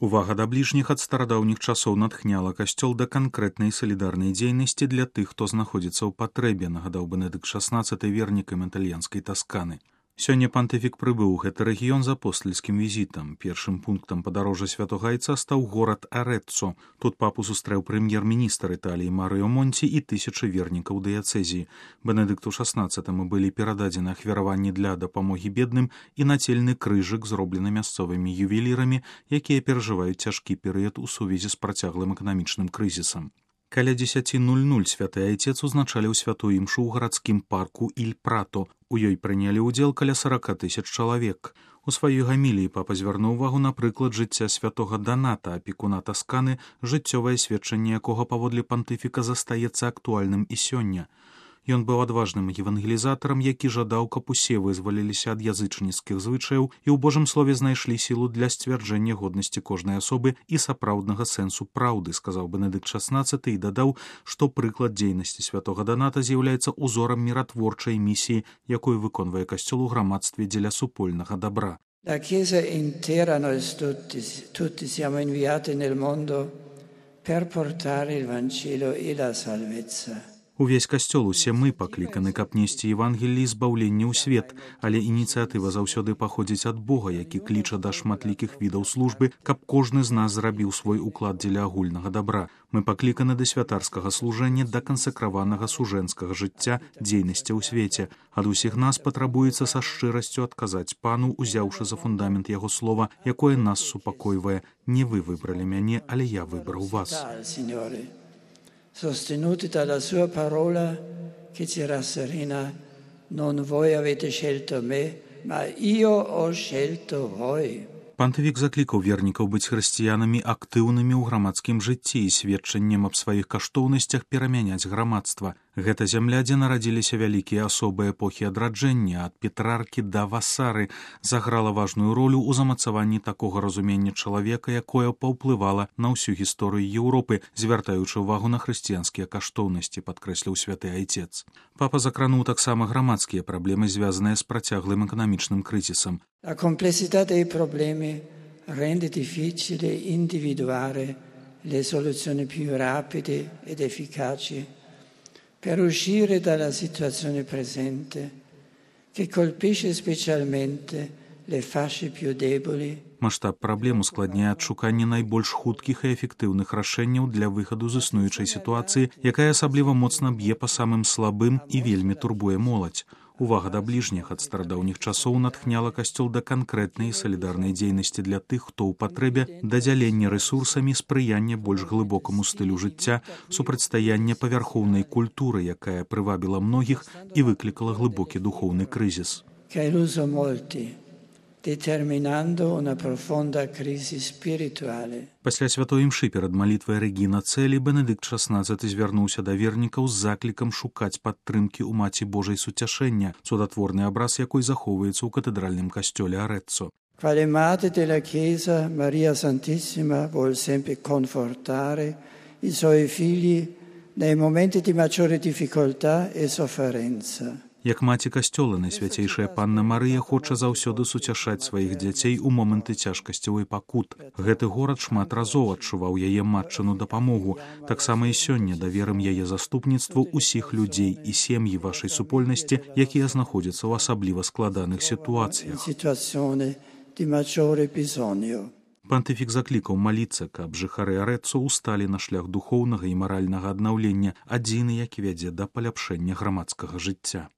Увага да бліжніх ад старадаўніх часоў натхняла касцёл да канкрэтнай салідарнай дзейнасці для тых, хто знаходзіцца ў патрэбе, нагадаў Бенедыкт XVI вернікам італьянскай Тасканы. Сёння пантыфік прыбыў у гэты рэгіён з апостальскім візітам. Першым пунктам падарожжа святога айца стаў горад Арэццо. Тут папу сустрэў прэм'ер-міністр Італіі Марыо Монці і тысячы вернікаў дыяцэзіі. Бенедыкту XVI былі перададзены ахвяраванні для дапамогі бедным і нацельны крыжык, зроблены мясцовымі ювелірамі, якія перажываюць цяжкі перыяд у сувязі з працяглым эканамічным крызісам. Каля 10:00 святы айцец узначаліў святую імшу ў гарадскім парку Іль-Прато. У ёй прынялі ўдзел каля 40 000 чалавек. У сваёй гаміліі папа звярнуў увагу на прыклад жыцця святога Даната, апекуна Тасканы, жыццёвае сведчанне якога паводле пантыфіка застаецца актуальным і сёння. Ён быў адважным евангелізатарам, які жадаў, каб усе вызваліліся ад язычніцкіх звычаяў і ў Божым слове знайшлі сілу для сцвярджэння годнасці кожнай асобы і сапраўднага сэнсу праўды, сказаў Бенедыкт XVI і дадаў, што прыклад дзейнасці святога Даната з'яўляецца ўзорам міратворчай місіі, якую выконвае касцёл у грамадстве дзеля супольнага добра. La Chiesa intera, noi tutti siamo inviati nel mondo per portare il Vangelo e la salvezza. Увесь касцёл, усе мы пакліканы, каб несці Евангеллі збаўлення ў свет, але ініцыятыва заўсёды паходзіць ад Бога, які кліча да шматлікіх відаў службы, каб кожны з нас зрабіў свой уклад дзеля агульнага добра. Мы пакліканы да святарскага служэння, да кансакраванага сужэнскага жыцця, дзейнасці ў свеце. Ад усіх нас патрабуецца са шчырасцю адказаць пану, узяўшы за фундамент яго слова, якое нас супакойвае: не вы выбралі мяне, але я выбраў вас. Sostenuti dalla sua parola che ci rasserena, non voi avete scelto me, ma io ho scelto voi. Пантыфік заклікаў вернікаў быць хрысціянамі актыўнымі ў грамадскім жыцці і сведчаннем аб сваіх каштоўнасцях перамяняць грамадства. Гэта зямля, дзе нарадзіліся вялікія асобы эпохі адраджэння, ад Петраркі да Васары, заграла важную ролю ў замацаванні такога разумення чалавека, якое паўплывала на ўсю гісторыю Еўропы, звяртаючы ўвагу на хрысціянскія каштоўнасці, падкрэсліў святы айцец. Папа закрануў таксама грамадскія праблемы, звязаныя з працяглым эканамічным крызісам. La complessità dei problemi rende difficile individuare le soluzioni più rapide ed efficaci per uscire dalla situazione presente che colpisce specialmente le fasce più deboli. Маштаб праблем ускладняе адшуканне найбольш хуткіх і эфектыўных рашэнняў для выхаду з існуючай сітуацыі, якая асабліва моцна б'е па самым слабым і вельмі турбуе моладзь. Увага да бліжніх ад старадаўніх часоў натхняла касцёл да канкрэтнай і салідарнай дзейнасці для тых, хто ў патрэбе, да дзялення рэсурсамі, спрыяння больш глыбокаму стылю жыцця, супрацьстаяння павярхоўнай культуры, якая прывабіла многіх і выклікала глыбокі духоўны крызіс. Determinando una profonda crisi spirituale. Пасля святой імшы перад малітвай Рэгіна Цэлі Бенедыкт XVI звярнуўся да вернікаў з заклікам шукаць падтрымкі ў Маці Божай суцяшэння, цудатворны абраз якой захоўваецца ў катэдральным касцёле Арэццо. Quale madre della Chiesa, Maria Santissima vuol sempre confortare i suoi figli nei momenti di maggiore difficoltà e sofferenza. Як маці касцёла, найсвяцейшая панна Марыя хоча заўсёды суцяшаць сваіх дзяцей у моманты цяжкасцяў і пакут. Гэты горад шмат разоў адчуваў яе матчыну дапамогу. Таксама і сёння даверым яе заступніцтву ўсіх людзей і сем'і вашай супольнасці, якія знаходзяцца ў асабліва складаных сітуацыях. Пантыфік заклікаў маліцца, каб жыхары Арэццо ўсталі на шлях духоўнага і маральнага аднаўлення, адзіны, які вядзе да паляпшэння грамадскага жыцця.